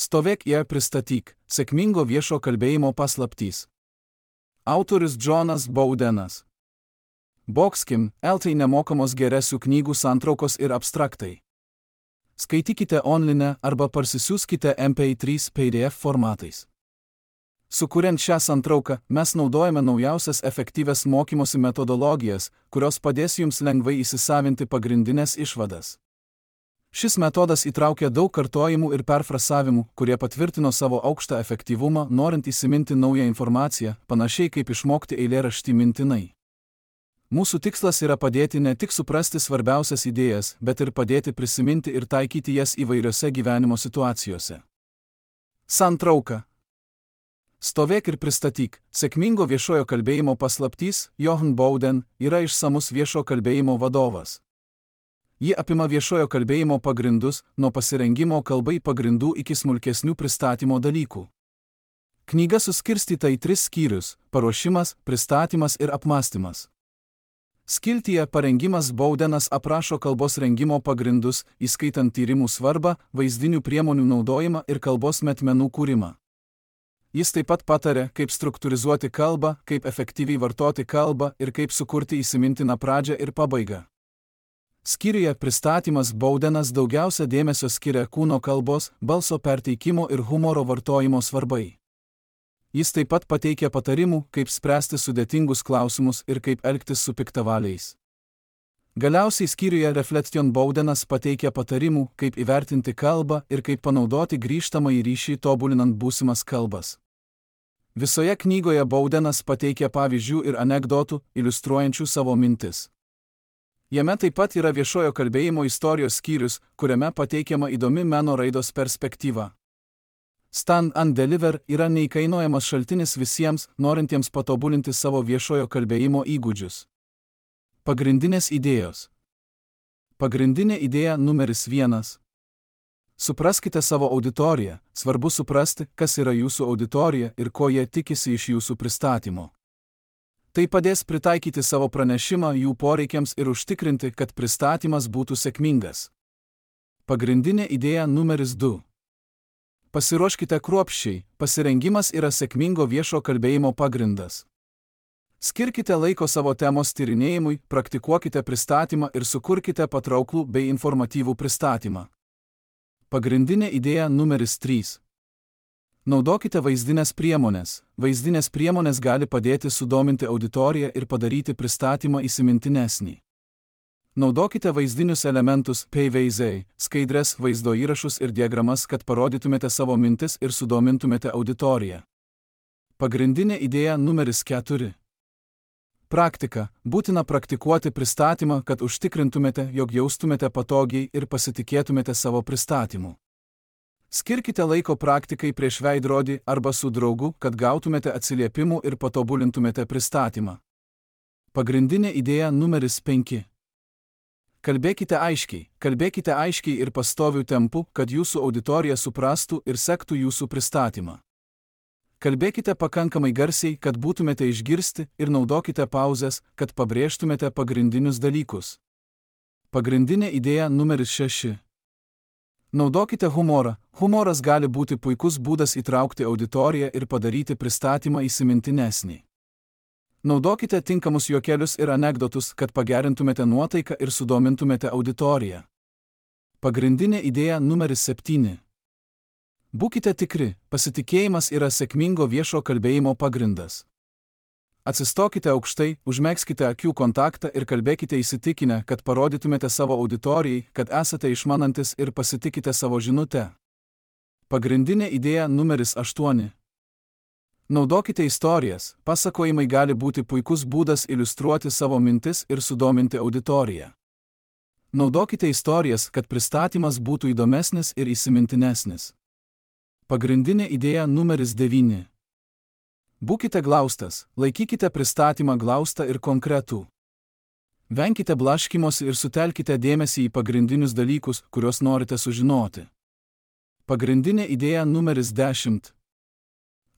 Stovėk ir pristatyk – sėkmingo viešo kalbėjimo paslaptys. Autorius Džonas Baudenas. Boxkim, LT nemokamos geresių knygų santraukos ir abstraktai. Skaitykite online arba parsisiųskite MP3 PDF formatais. Sukuriant šią santrauką, mes naudojame naujausias efektyvias mokymosi metodologijas, kurios padės jums lengvai įsisavinti pagrindinės išvadas. Šis metodas įtraukia daug kartojimų ir perfrasavimų, kurie patvirtino savo aukštą efektyvumą, norint įsiminti naują informaciją, panašiai kaip išmokti eilėraštį mintinai. Mūsų tikslas yra padėti ne tik suprasti svarbiausias idėjas, bet ir padėti prisiminti ir taikyti jas įvairiose gyvenimo situacijose. Santrauka. Stovėk ir pristatyk – sėkmingo viešojo kalbėjimo paslaptys. Johan Bouden yra išsamus viešo kalbėjimo vadovas. Ji apima viešojo kalbėjimo pagrindus, nuo pasirengimo kalbai pagrindų iki smulkesnių pristatymo dalykų. Knyga suskirstyta į 3 skyrius – paruošimas, pristatymas ir apmąstymas. Skiltyje parengimas Baudenas aprašo kalbos rengimo pagrindus, įskaitant tyrimų svarbą, vaizdinių priemonių naudojimą ir kalbos metmenų kūrimą. Jis taip pat patarė, kaip struktūrizuoti kalbą, kaip efektyviai vartoti kalbą ir kaip sukurti įsimintiną pradžią ir pabaigą. Skyriuje pristatymas Baudenas daugiausia dėmesio skiria kūno kalbos, balso perteikimo ir humoro vartojimo svarbai. Jis taip pat pateikia patarimų, kaip spręsti sudėtingus klausimus ir kaip elgtis su piktavaliais. Galiausiai skyriuje Reflection Baudenas pateikia patarimų, kaip įvertinti kalbą ir kaip panaudoti grįžtamąjį ryšį tobulinant būsimas kalbas. Visoje knygoje Baudenas pateikia pavyzdžių ir anekdotų, iliustruojančių savo mintis. Jame taip pat yra viešojo kalbėjimo istorijos skyrius, kuriame pateikiama įdomi meno raidos perspektyva. Stand and Deliver yra neįkainojamas šaltinis visiems, norintiems patobulinti savo viešojo kalbėjimo įgūdžius. Pagrindinės idėjos. Pagrindinė idėja numeris 1. Supraskite savo auditoriją. Svarbu suprasti, kas yra jūsų auditorija ir ko jie tikisi iš jūsų pristatymo. Tai padės pritaikyti savo pranešimą jų poreikiams ir užtikrinti, kad pristatymas būtų sėkmingas. Pagrindinė idėja numeris 2. Pasiruoškite kruopščiai, pasirengimas yra sėkmingo viešo kalbėjimo pagrindas. Skirkite laiko savo temos tyrinėjimui, praktikuokite pristatymą ir sukurkite patrauklų bei informatyvų pristatymą. Pagrindinė idėja numeris 3. Naudokite vaizdinės priemonės. Vaizdinės priemonės gali padėti sudominti auditoriją ir padaryti pristatymą įsimintinesnį. Naudokite vaizdinius elementus, PVZ, skaidres, vaizdo įrašus ir diagramas, kad parodytumėte savo mintis ir sudomintumėte auditoriją. Pagrindinė idėja numeris 4. Praktika. Būtina praktikuoti pristatymą, kad užtikrintumėte, jog jaustumėte patogiai ir pasitikėtumėte savo pristatymu. Skirkite laiko praktikai prieš veidrodį arba su draugu, kad gautumėte atsiliepimų ir patobulintumėte pristatymą. Pagrindinė idėja numeris 5. Kalbėkite aiškiai ir pastoviu tempu, kad jūsų auditorija suprastų ir sektų jūsų pristatymą. Kalbėkite pakankamai garsiai, kad būtumėte išgirsti ir naudokite pauzes, kad pabrėžtumėte pagrindinius dalykus. Pagrindinė idėja numeris 6. Naudokite humorą. Humoras gali būti puikus būdas įtraukti auditoriją ir padaryti pristatymą įsimintinesnį. Naudokite tinkamus juokelius ir anekdotus, kad pagerintumėte nuotaiką ir sudomintumėte auditoriją. Pagrindinė idėja numeris 7. Būkite tikri, pasitikėjimas yra sėkmingo viešo kalbėjimo pagrindas. Atsistokite aukštai, užmegzkite akių kontaktą ir kalbėkite įsitikinę, kad parodytumėte savo auditorijai, kad esate išmanantis ir pasitikite savo žinutę. Pagrindinė idėja numeris 8. Naudokite istorijas. Pasakojimai gali būti puikus būdas iliustruoti savo mintis ir sudominti auditoriją. Naudokite istorijas, kad pristatymas būtų įdomesnis ir įsimintinesnis. Pagrindinė idėja numeris 9. Būkite glaustas, laikykite pristatymą glaustą ir konkretų. Venkite blaškymosi ir sutelkite dėmesį į pagrindinius dalykus, kuriuos norite sužinoti. Pagrindinė idėja numeris 10.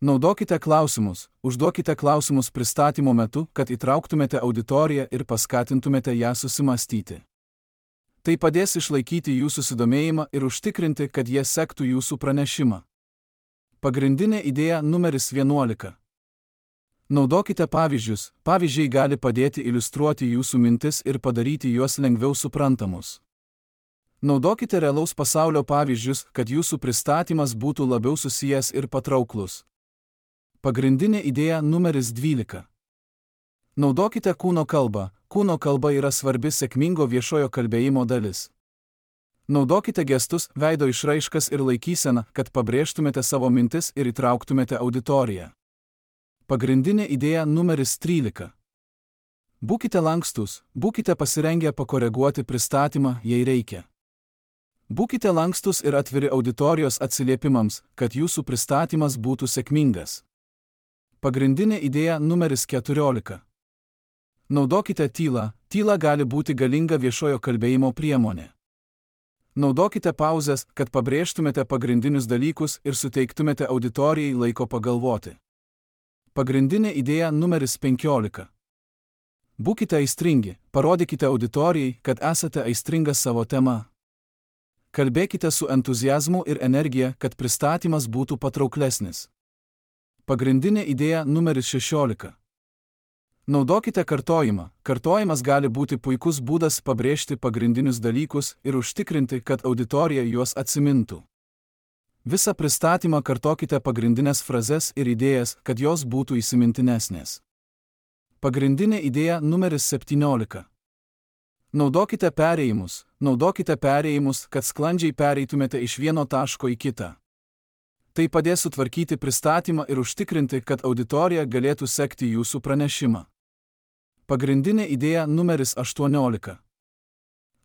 Naudokite klausimus, užduokite klausimus pristatymo metu, kad įtrauktumėte auditoriją ir paskatintumėte ją susimąstyti. Tai padės išlaikyti jūsų susidomėjimą ir užtikrinti, kad jie sektų jūsų pranešimą. Pagrindinė idėja numeris 11. Naudokite pavyzdžius, pavyzdžiai gali padėti iliustruoti jūsų mintis ir padaryti juos lengviau suprantamus. Naudokite realaus pasaulio pavyzdžius, kad jūsų pristatymas būtų labiau susijęs ir patrauklus. Pagrindinė idėja numeris 12. Naudokite kūno kalbą. Kūno kalba yra svarbi sėkmingo viešojo kalbėjimo dalis. Naudokite gestus, veido išraiškas ir laikyseną, kad pabrėžtumėte savo mintis ir įtrauktumėte auditoriją. Pagrindinė idėja numeris 13. Būkite lankstus, būkite pasirengę pakoreguoti pristatymą, jei reikia. Būkite lankstus ir atviri auditorijos atsiliepimams, kad jūsų pristatymas būtų sėkmingas. Pagrindinė idėja numeris 14. Naudokite tylą. Tyla gali būti galinga viešojo kalbėjimo priemonė. Naudokite pauzes, kad pabrėžtumėte pagrindinius dalykus ir suteiktumėte auditorijai laiko pagalvoti. Pagrindinė idėja numeris 15. Būkite aistringi, parodykite auditorijai, kad esate aistringas savo tema. Kalbėkite su entuziazmu ir energija, kad pristatymas būtų patrauklesnis. Pagrindinė idėja numeris 16. Naudokite kartojimą. Kartojimas gali būti puikus būdas pabrėžti pagrindinius dalykus ir užtikrinti, kad auditorija juos atsimintų. Visą pristatymą kartokite pagrindinės frazes ir idėjas, kad jos būtų įsimintinesnės. Pagrindinė idėja numeris 17. Naudokite perėjimus. Naudokite perėjimus, kad sklandžiai pereitumėte iš vieno taško į kitą. Tai padės sutvarkyti pristatymą ir užtikrinti, kad auditorija galėtų sekti jūsų pranešimą. Pagrindinė idėja numeris 18.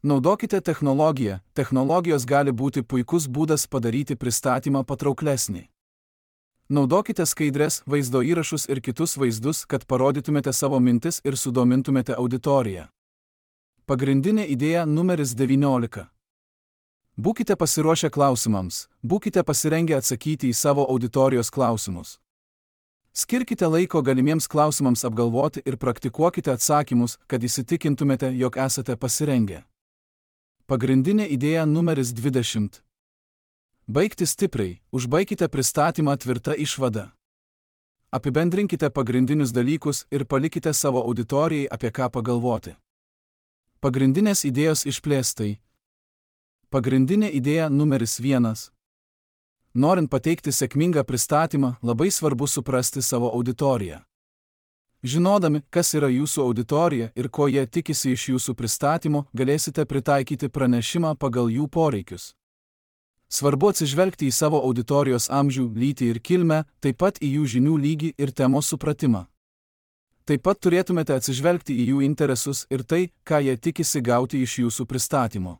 Naudokite technologiją. Technologijos gali būti puikus būdas padaryti pristatymą patrauklesnį. Naudokite skaidres, vaizdo įrašus ir kitus vaizdus, kad parodytumėte savo mintis ir sudomintumėte auditoriją. Pagrindinė idėja numeris 19. Būkite pasiruošę klausimams. Būkite pasirengę atsakyti į savo auditorijos klausimus. Skirkite laiko galimiems klausimams apgalvoti ir praktikuokite atsakymus, kad įsitikintumėte, jog esate pasirengę. Pagrindinė idėja numeris 20. Baigti stipriai. Užbaikite pristatymą tvirta išvada. Apibendrinkite pagrindinius dalykus ir palikite savo auditorijai apie ką pagalvoti. Pagrindinės idėjos išplėstai. Pagrindinė idėja numeris 1. Norint pateikti sėkmingą pristatymą, labai svarbu suprasti savo auditoriją. Žinodami, kas yra jūsų auditorija ir ko jie tikisi iš jūsų pristatymo, galėsite pritaikyti pranešimą pagal jų poreikius. Svarbu atsižvelgti į savo auditorijos amžių, lytį ir kilmę, taip pat į jų žinių lygį ir temos supratimą. Taip pat turėtumėte atsižvelgti į jų interesus ir tai, ką jie tikisi gauti iš jūsų pristatymo.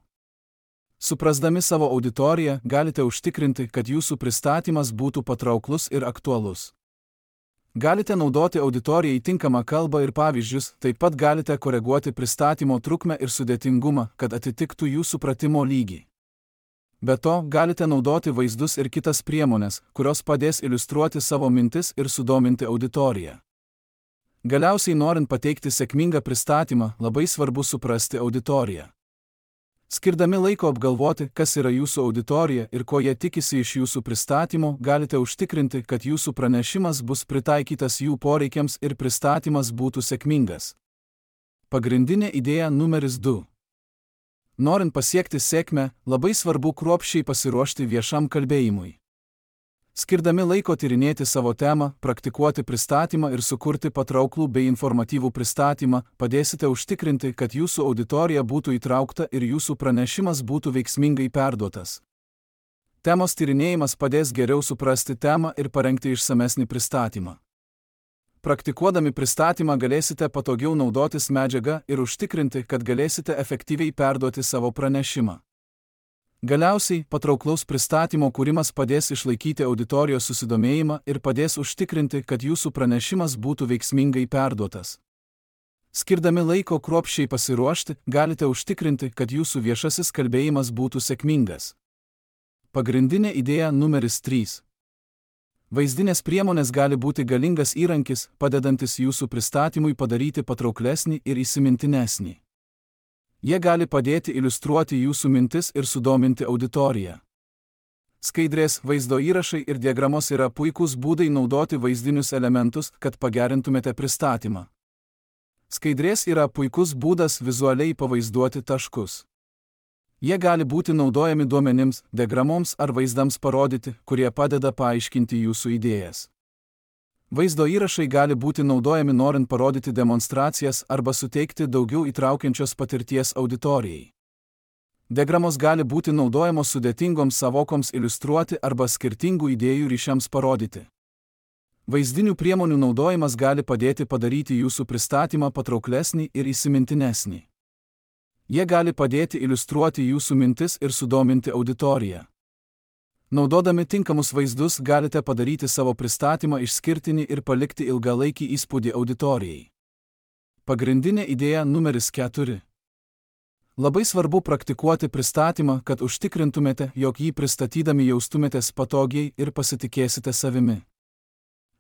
Suprasdami savo auditoriją, galite užtikrinti, kad jūsų pristatymas būtų patrauklus ir aktualus. Galite naudoti auditorijai tinkamą kalbą ir pavyzdžius, taip pat galite koreguoti pristatymo trukmę ir sudėtingumą, kad atitiktų jų supratimo lygį. Be to, galite naudoti vaizdus ir kitas priemonės, kurios padės iliustruoti savo mintis ir sudominti auditoriją. Galiausiai, norint pateikti sėkmingą pristatymą, labai svarbu suprasti auditoriją. Skirdami laiko apgalvoti, kas yra jūsų auditorija ir ko jie tikisi iš jūsų pristatymo, galite užtikrinti, kad jūsų pranešimas bus pritaikytas jų poreikiams ir pristatymas būtų sėkmingas. Pagrindinė idėja numeris 2. Norint pasiekti sėkmę, labai svarbu kruopščiai pasiruošti viešam kalbėjimui. Skirdami laiko tyrinėti savo temą, praktikuoti pristatymą ir sukurti patrauklų bei informatyvų pristatymą, padėsite užtikrinti, kad jūsų auditorija būtų įtraukta ir jūsų pranešimas būtų veiksmingai perduotas. Temos tyrinėjimas padės geriau suprasti temą ir parengti išsamesnį pristatymą. Praktikuodami pristatymą galėsite patogiau naudotis medžiaga ir užtikrinti, kad galėsite efektyviai perduoti savo pranešimą. Galiausiai, patrauklaus pristatymo kūrimas padės išlaikyti auditorijos susidomėjimą ir padės užtikrinti, kad jūsų pranešimas būtų veiksmingai perduotas. Skirdami laiko kruopščiai pasiruošti, galite užtikrinti, kad jūsų viešasis kalbėjimas būtų sėkmingas. Pagrindinė idėja numeris 3. Vaizdinės priemonės gali būti galingas įrankis, padedantis jūsų pristatymui padaryti patrauklesnį ir įsimintinesnį. Jie gali padėti iliustruoti jūsų mintis ir sudominti auditoriją. Skaidrės, vaizdo įrašai ir diagramos yra puikūs būdai naudoti vaizdinius elementus, kad pagerintumėte pristatymą. Skaidrės yra puikus būdas vizualiai pavaizduoti taškus. Jie gali būti naudojami duomenims, diagramoms ar vaizdams parodyti, kurie padeda paaiškinti jūsų idėjas. Vaizdo įrašai gali būti naudojami norint parodyti demonstracijas arba suteikti daugiau įtraukiančios patirties auditorijai. Diagramos gali būti naudojamos sudėtingoms sąvokoms iliustruoti arba skirtingų idėjų ryšiams parodyti. Vaizdinių priemonių naudojimas gali padėti padaryti jūsų pristatymą patrauklesnį ir įsimintinesnį. Jie gali padėti iliustruoti jūsų mintis ir sudominti auditoriją. Naudodami tinkamus vaizdus galite padaryti savo pristatymą išskirtinį ir palikti ilgalaikį įspūdį auditorijai. Pagrindinė idėja numeris 4. Labai svarbu praktikuoti pristatymą, kad užtikrintumėte, jog jį pristatydami jaustumėtės patogiai ir pasitikėsite savimi.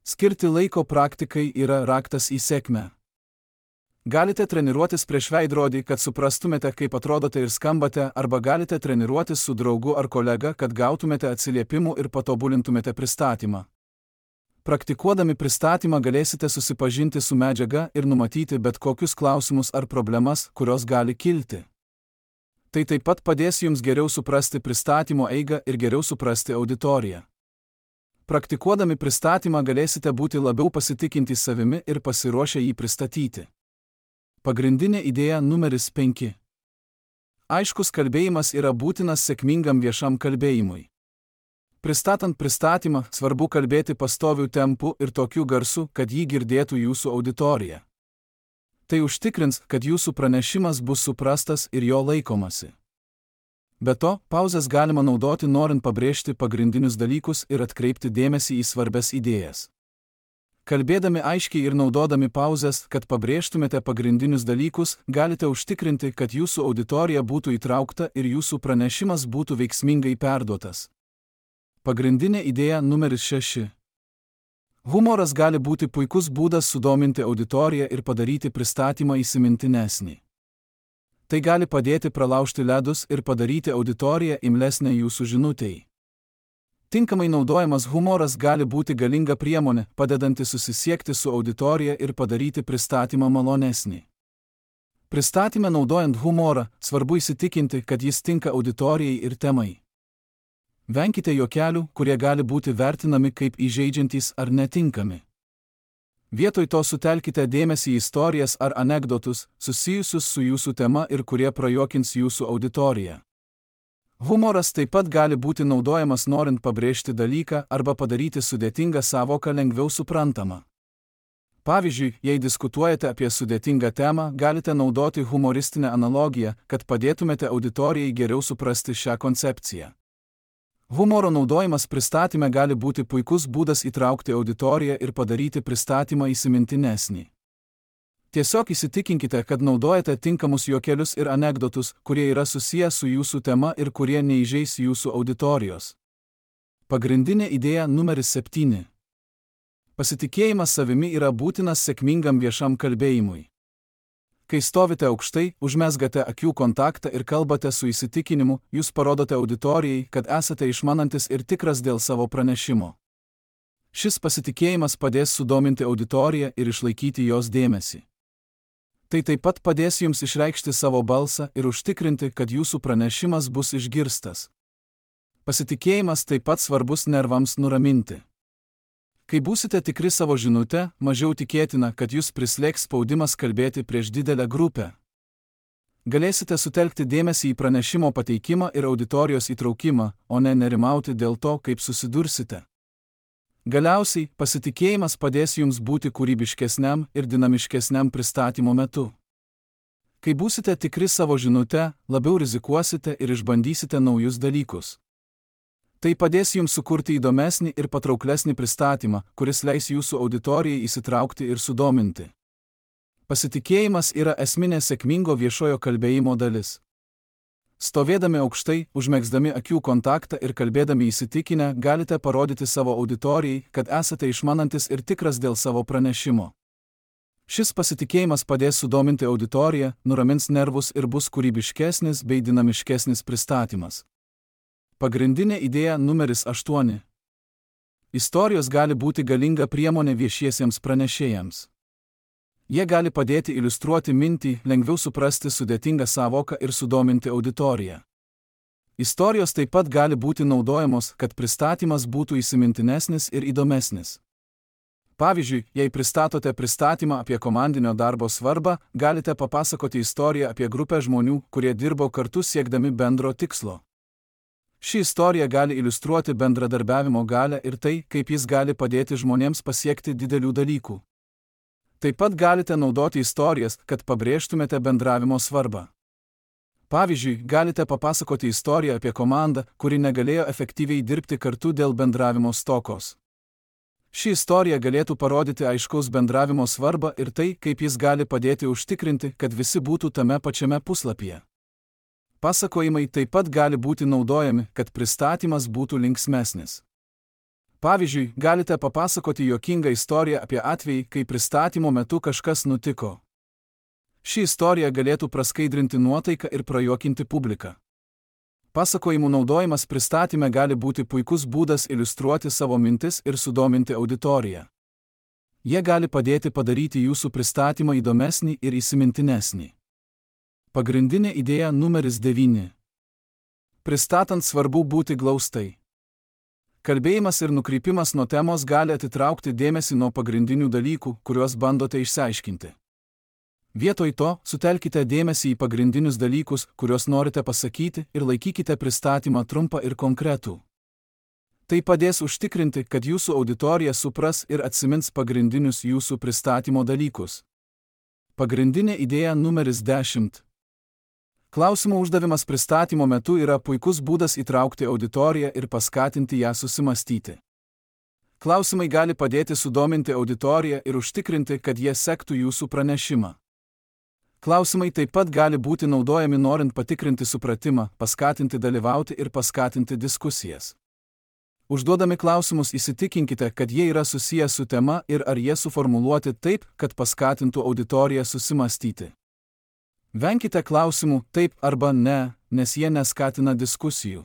Skirti laiko praktikai yra raktas į sėkmę. Galite treniruotis prieš veidrodį, kad suprastumėte, kaip atrodote ir skambate, arba galite treniruotis su draugu ar kolega, kad gautumėte atsiliepimų ir patobulintumėte pristatymą. Praktikuodami pristatymą galėsite susipažinti su medžiaga ir numatyti bet kokius klausimus ar problemas, kurios gali kilti. Tai taip pat padės jums geriau suprasti pristatymo eigą ir geriau suprasti auditoriją. Praktikuodami pristatymą galėsite būti labiau pasitikintys savimi ir pasiruošę jį pristatyti. Pagrindinė idėja numeris 5. Aiškus kalbėjimas yra būtinas sėkmingam viešam kalbėjimui. Pristatant pristatymą, svarbu kalbėti pastoviu tempu ir tokiu garsu, kad jį girdėtų jūsų auditorija. Tai užtikrins, kad jūsų pranešimas bus suprastas ir jo laikomasi. Be to, pauzes galima naudoti norint pabrėžti pagrindinius dalykus ir atkreipti dėmesį į svarbias idėjas. Kalbėdami aiškiai ir naudodami pauzes, kad pabrėžtumėte pagrindinius dalykus, galite užtikrinti, kad jūsų auditorija būtų įtraukta ir jūsų pranešimas būtų veiksmingai perduotas. Pagrindinė idėja numeris 6. Humoras gali būti puikus būdas sudominti auditoriją ir padaryti pristatymą įsimintinesnį. Tai gali padėti pralaužti ledus ir padaryti auditoriją imlesnę jūsų žinutei. Tinkamai naudojamas humoras gali būti galinga priemonė, padedanti susisiekti su auditorija ir padaryti pristatymą malonesnį. Pristatyme naudojant humorą, svarbu įsitikinti, kad jis tinka auditorijai ir temai. Venkite juokelių, kurie gali būti vertinami kaip įžeidžiantys ar netinkami. Vietoj to sutelkite dėmesį į istorijas ar anekdotus, susijusius su jūsų tema ir kurie prajuokins jūsų auditoriją. Humoras taip pat gali būti naudojamas norint pabrėžti dalyką arba padaryti sudėtingą sąvoką lengviau suprantamą. Pavyzdžiui, jei diskutuojate apie sudėtingą temą, galite naudoti humoristinę analogiją, kad padėtumėte auditorijai geriau suprasti šią koncepciją. Humoro naudojimas pristatyme gali būti puikus būdas įtraukti auditoriją ir padaryti pristatymą įsimintinesnį. Tiesiog įsitikinkite, kad naudojate tinkamus juokelius ir anekdotus, kurie yra susiję su jūsų tema ir kurie neįžeis jūsų auditorijos. Pagrindinė idėja numeris 7. Pasitikėjimas savimi yra būtinas sėkmingam viešam kalbėjimui. Kai stovite aukštai, užmezgate akių kontaktą ir kalbate su įsitikinimu, jūs parodote auditorijai, kad esate išmanantis ir tikras dėl savo pranešimo. Šis pasitikėjimas padės sudominti auditoriją ir išlaikyti jos dėmesį. Tai taip pat padės jums išreikšti savo balsą ir užtikrinti, kad jūsų pranešimas bus išgirstas. Pasitikėjimas taip pat svarbus nervams nuraminti. Kai būsite tikri savo žinute, mažiau tikėtina, kad jūs prislėgs spaudimas kalbėti prieš didelę grupę. Galėsite sutelkti dėmesį į pranešimo pateikimą ir auditorijos įtraukimą, o ne nerimauti dėl to, kaip susidursite. Galiausiai, pasitikėjimas padės jums būti kūrybiškesniam ir dinamiškesniam pristatymo metu. Kai būsite tikri savo žinute, labiau rizikuosite ir išbandysite naujus dalykus. Tai padės jums sukurti įdomesnį ir patrauklesnį pristatymą, kuris leis jūsų auditorijai įsitraukti ir sudominti. Pasitikėjimas yra esminė sėkmingo viešojo kalbėjimo dalis. Stovėdami aukštai, užmegzdami akių kontaktą ir kalbėdami įsitikinę, galite parodyti savo auditorijai, kad esate išmanantis ir tikras dėl savo pranešimo. Šis pasitikėjimas padės sudominti auditoriją, nuramins nervus ir bus kūrybiškesnis bei dinamiškesnis pristatymas. Pagrindinė idėja numeris 8. Istorijos gali būti galinga priemonė viešiesiems pranešėjams. Jie gali padėti iliustruoti mintį, lengviau suprasti sudėtingą sąvoką ir sudominti auditoriją. Istorijos taip pat gali būti naudojamos, kad pristatymas būtų įsimintinesnis ir įdomesnis. Pavyzdžiui, jei pristatote pristatymą apie komandinio darbo svarbą, galite papasakoti istoriją apie grupę žmonių, kurie dirbo kartu siekdami bendro tikslo. Ši istorija gali iliustruoti bendradarbiavimo galią ir tai, kaip jis gali padėti žmonėms pasiekti didelių dalykų. Taip pat galite naudoti istorijas, kad pabrėžtumėte bendravimo svarbą. Pavyzdžiui, galite papasakoti istoriją apie komandą, kuri negalėjo efektyviai dirbti kartu dėl bendravimo stokos. Ši istorija galėtų parodyti aiškaus bendravimo svarbą ir tai, kaip jis gali padėti užtikrinti, kad visi būtų tame pačiame puslapyje. Pasakojimai taip pat gali būti naudojami, kad pristatymas būtų linksmesnis. Pavyzdžiui, galite papasakoti juokingą istoriją apie atvejį, kai pristatymo metu kažkas nutiko. Ši istorija galėtų praskaidrinti nuotaiką ir prajuokinti publiką. Pasakojimų naudojimas pristatyme gali būti puikus būdas iliustruoti savo mintis ir sudominti auditoriją. Jie gali padėti padaryti jūsų pristatymą įdomesnį ir įsimintinesnį. Pagrindinė idėja numeris 9. Pristatant svarbu būti glaustai. Kalbėjimas ir nukrypimas nuo temos gali atitraukti dėmesį nuo pagrindinių dalykų, kuriuos bandote išsiaiškinti. Vietoj to, sutelkite dėmesį į pagrindinius dalykus, kuriuos norite pasakyti, ir laikykite pristatymą trumpą ir konkretų. Tai padės užtikrinti, kad jūsų auditorija supras ir atsimins pagrindinius jūsų pristatymo dalykus. Pagrindinė idėja numeris 10. Klausimų uždavimas pristatymo metu yra puikus būdas įtraukti auditoriją ir paskatinti ją susimastyti. Klausimai gali padėti sudominti auditoriją ir užtikrinti, kad jie sektų jūsų pranešimą. Klausimai taip pat gali būti naudojami norint patikrinti supratimą, paskatinti dalyvauti ir paskatinti diskusijas. Užduodami klausimus įsitikinkite, kad jie yra susiję su tema ir ar jie suformuluoti taip, kad paskatintų auditoriją susimastyti. Venkite klausimų taip arba ne, nes jie neskatina diskusijų.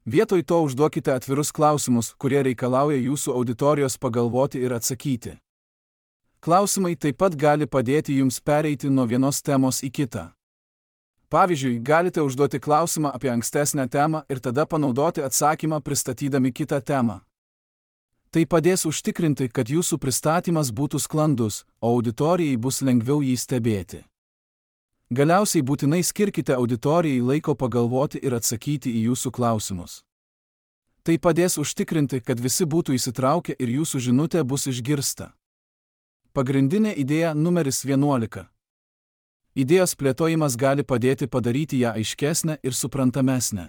Vietoj to užduokite atvirus klausimus, kurie reikalauja jūsų auditorijos pagalvoti ir atsakyti. Klausimai taip pat gali padėti jums pereiti nuo vienos temos į kitą. Pavyzdžiui, galite užduoti klausimą apie ankstesnę temą ir tada panaudoti atsakymą pristatydami kitą temą. Tai padės užtikrinti, kad jūsų pristatymas būtų sklandus, o auditorijai bus lengviau jį stebėti. Galiausiai būtinai skirkite auditorijai laiko pagalvoti ir atsakyti į jūsų klausimus. Tai padės užtikrinti, kad visi būtų įsitraukę ir jūsų žinutė bus išgirsta. Pagrindinė idėja numeris 11. Idėjos plėtojimas gali padėti padaryti ją aiškesnę ir suprantamesnę.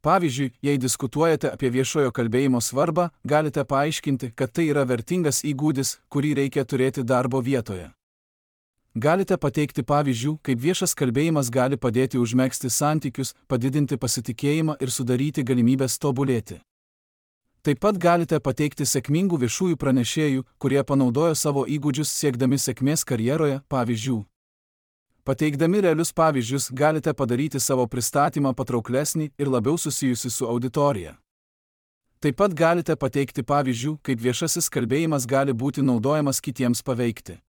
Pavyzdžiui, jei diskutuojate apie viešojo kalbėjimo svarbą, galite paaiškinti, kad tai yra vertingas įgūdis, kurį reikia turėti darbo vietoje. Galite pateikti pavyzdžių, kaip viešas kalbėjimas gali padėti užmegzti santykius, padidinti pasitikėjimą ir sudaryti galimybės tobulėti. Taip pat galite pateikti sėkmingų viešųjų pranešėjų, kurie panaudojo savo įgūdžius siekdami sėkmės karjeroje, pavyzdžių. Pateikdami realius pavyzdžius galite padaryti savo pristatymą patrauklesnį ir labiau susijusi su auditorija. Taip pat galite pateikti pavyzdžių, kaip viešasis kalbėjimas gali būti naudojamas kitiems paveikti.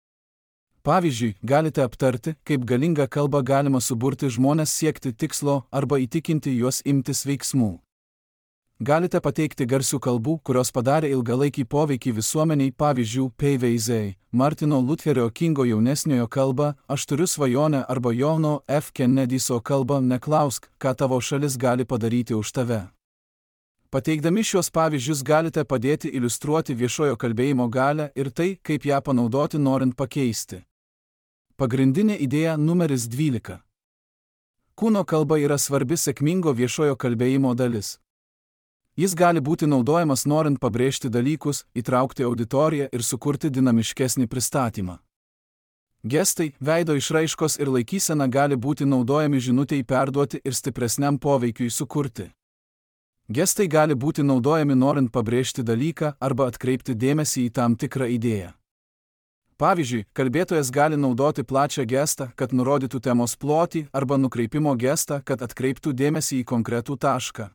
Pavyzdžiui, galite aptarti, kaip galingą kalbą galima suburti žmones siekti tikslo arba įtikinti juos imtis veiksmų. Galite pateikti garsių kalbų, kurios padarė ilgalaikį poveikį visuomeniai, pavyzdžių P.V.Z., Martino Lutherio Kingo jaunesniojo kalba, Aš turiu svajonę arba Johno F. Kennedy'so kalba Neklausk, ką tavo šalis gali padaryti už tave. Pateikdami šios pavyzdžius galite padėti iliustruoti viešojo kalbėjimo galią ir tai, kaip ją panaudoti norint pakeisti. Pagrindinė idėja numeris 12. Kūno kalba yra svarbi sėkmingo viešojo kalbėjimo dalis. Jis gali būti naudojamas norint pabrėžti dalykus, įtraukti auditoriją ir sukurti dinamiškesnį pristatymą. Gestai, veido išraiškos ir laikysena gali būti naudojami žinutei perduoti ir stipresniam poveikiui sukurti. Gestai gali būti naudojami norint pabrėžti dalyką arba atkreipti dėmesį į tam tikrą idėją. Pavyzdžiui, kalbėtojas gali naudoti plačią gestą, kad nurodytų temos plotį, arba nukreipimo gestą, kad atkreiptų dėmesį į konkretų tašką.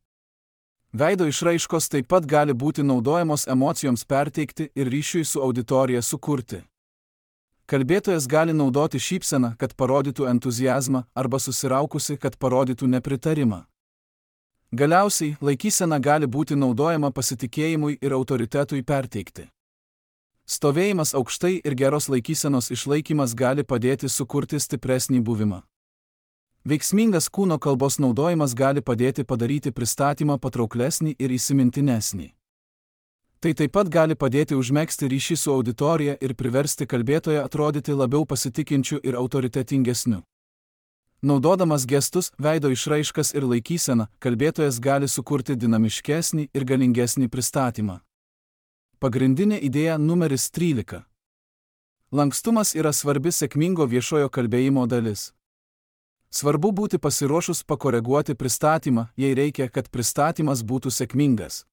Veido išraiškos taip pat gali būti naudojamos emocijoms perteikti ir ryšiui su auditorija sukurti. Kalbėtojas gali naudoti šypseną, kad parodytų entuziazmą, arba susiraukusi, kad parodytų nepritarimą. Galiausiai, laikysena gali būti naudojama pasitikėjimui ir autoritetui perteikti. Stovėjimas aukštai ir geros laikysenos išlaikymas gali padėti sukurti stipresnį buvimą. Veiksmingas kūno kalbos naudojimas gali padėti padaryti pristatymą patrauklesnį ir įsimintinesnį. Tai taip pat gali padėti užmegzti ryšį su auditorija ir priversti kalbėtoją atrodyti labiau pasitikinčiu ir autoritetingesniu. Naudodamas gestus, veido išraiškas ir laikyseną, kalbėtojas gali sukurti dinamiškesnį ir galingesnį pristatymą. Pagrindinė idėja numeris 13. Lankstumas yra svarbi sėkmingo viešojo kalbėjimo dalis. Svarbu būti pasiruošus pakoreguoti pristatymą, jei reikia, kad pristatymas būtų sėkmingas.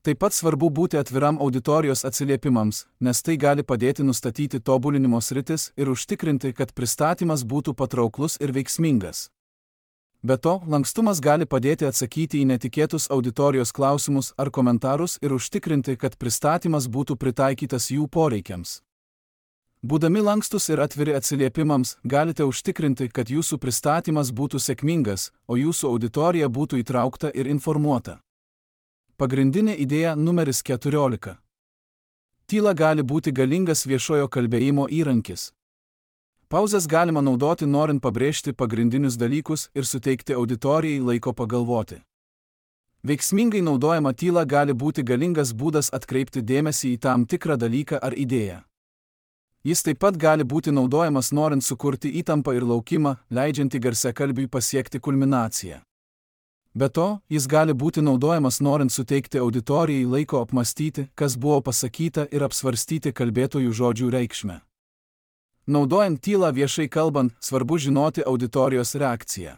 Taip pat svarbu būti atviram auditorijos atsiliepimams, nes tai gali padėti nustatyti tobulinimo sritis ir užtikrinti, kad pristatymas būtų patrauklus ir veiksmingas. Be to, lankstumas gali padėti atsakyti į netikėtus auditorijos klausimus ar komentarus ir užtikrinti, kad pristatymas būtų pritaikytas jų poreikiams. Būdami lankstus ir atviri atsiliepimams, galite užtikrinti, kad jūsų pristatymas būtų sėkmingas, o jūsų auditorija būtų įtraukta ir informuota. Pagrindinė idėja numeris 14. Tyla gali būti galingas viešojo kalbėjimo įrankis. Pauzes galima naudoti norint pabrėžti pagrindinius dalykus ir suteikti auditorijai laiko pagalvoti. Veiksmingai naudojama tyla gali būti galingas būdas atkreipti dėmesį į tam tikrą dalyką ar idėją. Jis taip pat gali būti naudojamas norint sukurti įtampą ir laukimą, leidžiantį garsiakalbiui pasiekti kulminaciją. Be to, jis gali būti naudojamas norint suteikti auditorijai laiko apmastyti, kas buvo pasakyta ir apsvarstyti kalbėtojų žodžių reikšmę. Naudojant tylą viešai kalbant, svarbu žinoti auditorijos reakciją.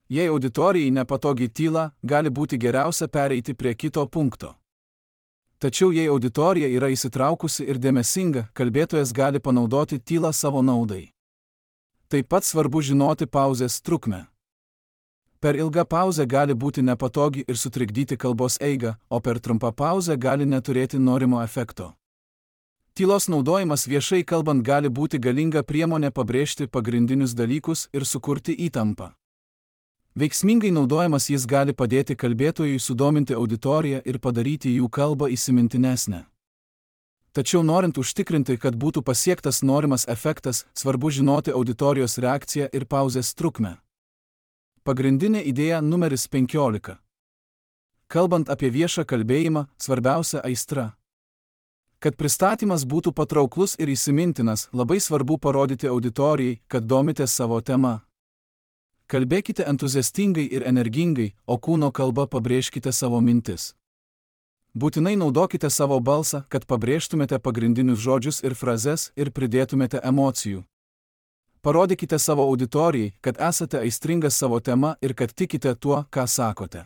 Jei auditorijai nepatogi tyla, gali būti geriausia pereiti prie kito punkto. Tačiau jei auditorija yra įsitraukusi ir dėmesinga, kalbėtojas gali panaudoti tylą savo naudai. Taip pat svarbu žinoti pauzės trukmę. Per ilgą pauzę gali būti nepatogi ir sutrikdyti kalbos eigą, o per trumpą pauzę gali neturėti norimo efekto. Tylos naudojimas viešai kalbant gali būti galinga priemonė pabrėžti pagrindinius dalykus ir sukurti įtampą. Veiksmingai naudojamas jis gali padėti kalbėtojui sudominti auditoriją ir padaryti jų kalbą įsimintinesnę. Tačiau norint užtikrinti, kad būtų pasiektas norimas efektas, svarbu žinoti auditorijos reakciją ir pauzės trukmę. Pagrindinė idėja numeris 15. Kalbant apie viešą kalbėjimą, svarbiausia aistra. Kad pristatymas būtų patrauklus ir įsimintinas, labai svarbu parodyti auditorijai, kad domitės savo tema. Kalbėkite entuziastingai ir energingai, o kūno kalba pabrėžkite savo mintis. Būtinai naudokite savo balsą, kad pabrėžtumėte pagrindinius žodžius ir frazes ir pridėtumėte emocijų. Parodykite savo auditorijai, kad esate aistringas savo tema ir kad tikite tuo, ką sakote.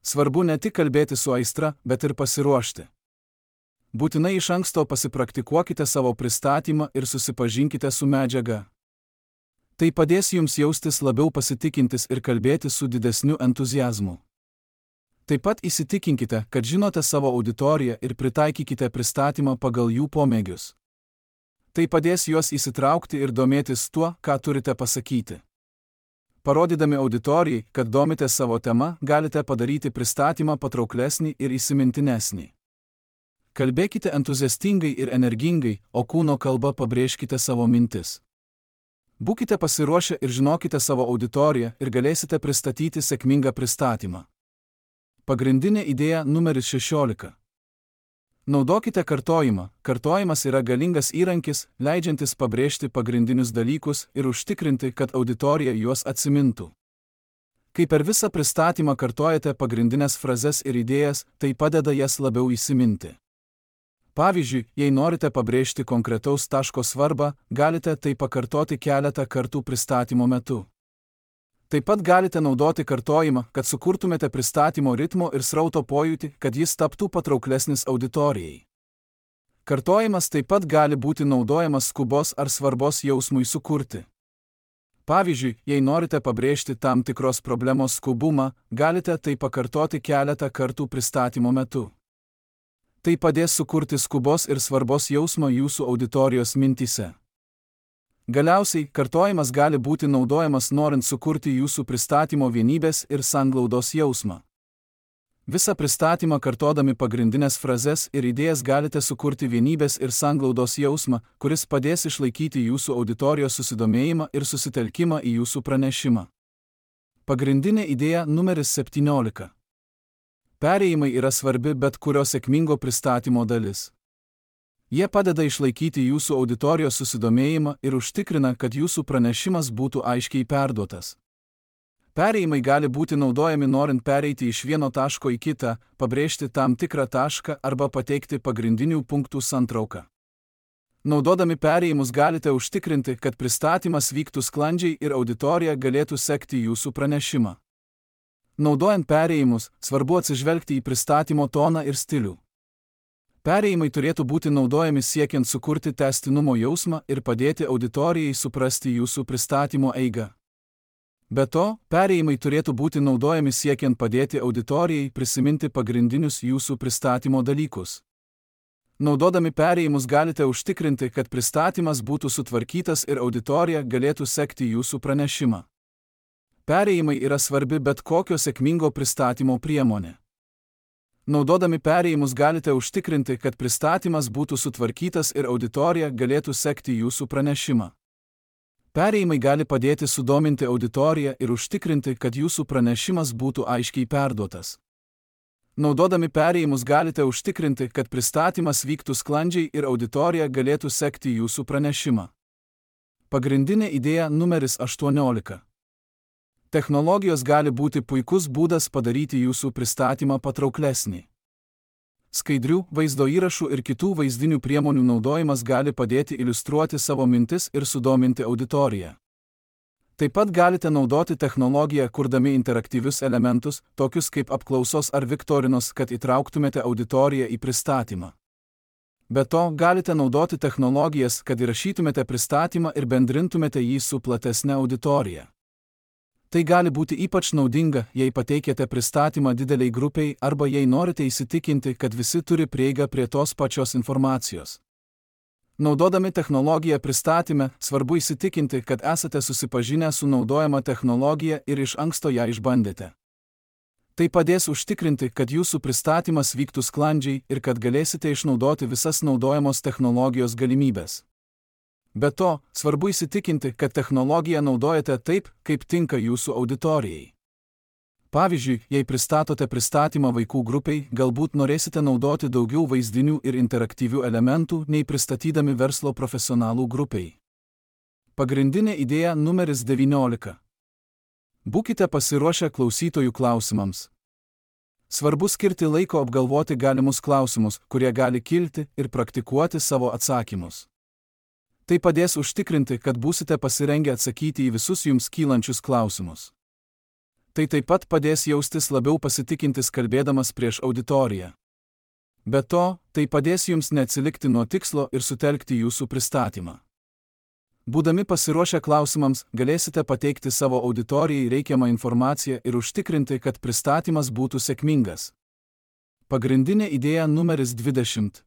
Svarbu ne tik kalbėti su aistra, bet ir pasiruošti. Būtinai iš anksto pasipraktikuokite savo pristatymą ir susipažinkite su medžiaga. Tai padės jums jaustis labiau pasitikintis ir kalbėti su didesniu entuziazmu. Taip pat įsitikinkite, kad žinote savo auditoriją ir pritaikykite pristatymą pagal jų pomėgius. Tai padės juos įsitraukti ir domėtis tuo, ką turite pasakyti. Parodydami auditorijai, kad domitės savo tema, galite padaryti pristatymą patrauklesnį ir įsimintinesnį. Kalbėkite entuziastingai ir energingai, o kūno kalba pabrėžkite savo mintis. Būkite pasiruošę ir žinokite savo auditoriją ir galėsite pristatyti sėkmingą pristatymą. Pagrindinė idėja numeris 16. Naudokite kartojimą. Kartojimas yra galingas įrankis, leidžiantis pabrėžti pagrindinius dalykus ir užtikrinti, kad auditorija juos atsimintų. Kai per visą pristatymą kartojate pagrindinės frazes ir idėjas, tai padeda jas labiau įsiminti. Pavyzdžiui, jei norite pabrėžti konkretaus taško svarbą, galite tai pakartoti keletą kartų pristatymo metu. Taip pat galite naudoti kartojimą, kad sukurtumėte pristatymo ritmo ir srauto pojūtį, kad jis taptų patrauklesnis auditorijai. Kartojimas taip pat gali būti naudojamas skubos ar svarbos jausmui sukurti. Pavyzdžiui, jei norite pabrėžti tam tikros problemos skubumą, galite tai pakartoti keletą kartų pristatymo metu. Tai padės sukurti skubos ir svarbos jausmą jūsų auditorijos mintyse. Galiausiai, kartojimas gali būti naudojamas norint sukurti jūsų pristatymo vienybės ir sanglaudos jausmą. Visą pristatymą kartodami pagrindinės frazes ir idėjas galite sukurti vienybės ir sanglaudos jausmą, kuris padės išlaikyti jūsų auditorijos susidomėjimą ir susitelkimą į jūsų pranešimą. Pagrindinė idėja numeris 17. Perėjimai yra svarbi bet kurio sėkmingo pristatymo dalis. Jie padeda išlaikyti jūsų auditorijos susidomėjimą ir užtikrina, kad jūsų pranešimas būtų aiškiai perduotas. Perėjimai gali būti naudojami norint pereiti iš vieno taško į kitą, pabrėžti tam tikrą tašką arba pateikti pagrindinių punktų santrauką. Naudodami perėjimus galite užtikrinti, kad pristatymas vyktų sklandžiai ir auditorija galėtų sekti jūsų pranešimą. Naudojant perėjimus, svarbu atsižvelgti į pristatymo toną ir stilių. Perėjimai turėtų būti naudojami siekiant sukurti tęstinumo jausmą ir padėti auditorijai suprasti jūsų pristatymo eigą. Be to, perėjimai turėtų būti naudojami siekiant padėti auditorijai prisiminti pagrindinius jūsų pristatymo dalykus. Naudodami perėjimus galite užtikrinti, kad pristatymas būtų sutvarkytas ir auditorija galėtų sekti jūsų pranešimą. Perėjimai yra svarbi bet kokio sėkmingo pristatymo priemonė. Naudodami perėjimus galite užtikrinti, kad pristatymas būtų sutvarkytas ir auditorija galėtų sekti jūsų pranešimą. Perėjimai gali padėti sudominti auditoriją ir užtikrinti, kad jūsų pranešimas būtų aiškiai perduotas. Naudodami perėjimus galite užtikrinti, kad pristatymas vyktų sklandžiai ir auditorija galėtų sekti jūsų pranešimą. Pagrindinė idėja numeris 18. Technologijos gali būti puikus būdas padaryti jūsų pristatymą patrauklesnį. Skaidrių, vaizdo įrašų ir kitų vaizdinių priemonių naudojimas gali padėti iliustruoti savo mintis ir sudominti auditoriją. Taip pat galite naudoti technologiją, kurdami interaktyvius elementus, tokius kaip apklausos ar viktorinos, kad įtrauktumėte auditoriją į pristatymą. Be to, galite naudoti technologijas, kad įrašytumėte pristatymą ir bendrintumėte jį su platesne auditorija. Tai gali būti ypač naudinga, jei pateikėte pristatymą dideliai grupiai arba jei norite įsitikinti, kad visi turi prieigą prie tos pačios informacijos. Naudodami technologiją pristatyme, svarbu įsitikinti, kad esate susipažinę su naudojama technologija ir iš anksto ją išbandėte. Tai padės užtikrinti, kad jūsų pristatymas vyktų sklandžiai ir kad galėsite išnaudoti visas naudojamos technologijos galimybės. Be to, svarbu įsitikinti, kad technologiją naudojate taip, kaip tinka jūsų auditorijai. Pavyzdžiui, jei pristatote pristatymą vaikų grupiai, galbūt norėsite naudoti daugiau vaizdinių ir interaktyvių elementų, nei pristatydami verslo profesionalų grupiai. Pagrindinė idėja numeris 19. Būkite pasiruošę klausytojų klausimams. Svarbu skirti laiko apgalvoti galimus klausimus, kurie gali kilti, ir praktikuoti savo atsakymus. Tai padės užtikrinti, kad būsite pasirengę atsakyti į visus jums kylančius klausimus. Tai taip pat padės jaustis labiau pasitikintis kalbėdamas prieš auditoriją. Be to, tai padės jums neatsilikti nuo tikslo ir sutelkti jūsų pristatymą. Būdami pasiruošę klausimams, galėsite pateikti savo auditorijai reikiamą informaciją ir užtikrinti, kad pristatymas būtų sėkmingas. Pagrindinė idėja numeris 20.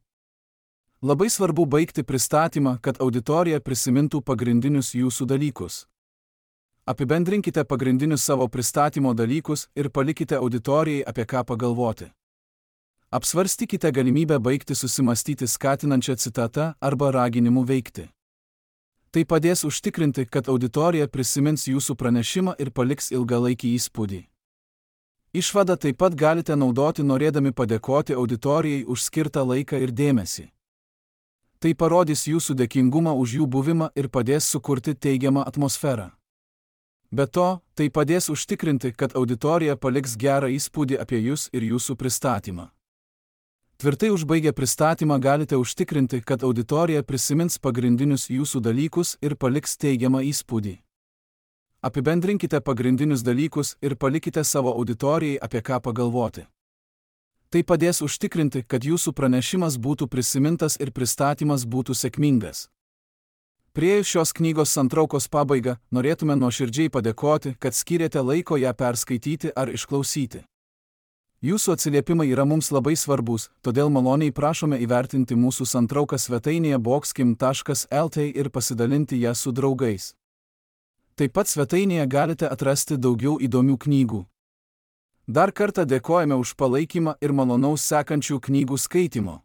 Labai svarbu baigti pristatymą, kad auditorija prisimintų pagrindinius jūsų dalykus. Apibendrinkite pagrindinius savo pristatymo dalykus ir palikite auditorijai apie ką pagalvoti. Apsvarstykite galimybę baigti susimastyti skatinančią citatą arba raginimu veikti. Tai padės užtikrinti, kad auditorija prisimins jūsų pranešimą ir paliks ilgalaikį įspūdį. Išvadą taip pat galite naudoti norėdami padėkoti auditorijai už skirtą laiką ir dėmesį. Tai parodys jūsų dėkingumą už jų buvimą ir padės sukurti teigiamą atmosferą. Be to, tai padės užtikrinti, kad auditorija paliks gerą įspūdį apie jūs ir jūsų pristatymą. Tvirtai užbaigę pristatymą galite užtikrinti, kad auditorija prisimins pagrindinius jūsų dalykus ir paliks teigiamą įspūdį. Apibendrinkite pagrindinius dalykus ir palikite savo auditorijai apie ką pagalvoti. Tai padės užtikrinti, kad jūsų pranešimas būtų prisimintas ir pristatymas būtų sėkmingas. Priėjus šios knygos santraukos pabaigą, norėtume nuoširdžiai padėkoti, kad skyrėte laiko ją perskaityti ar išklausyti. Jūsų atsiliepimai yra mums labai svarbus, todėl maloniai prašome įvertinti mūsų santrauką svetainėje boxkim.lt ir pasidalinti ją su draugais. Taip pat svetainėje galite atrasti daugiau įdomių knygų. Dar kartą dėkojame už palaikymą ir malonaus sekančių knygų skaitymo.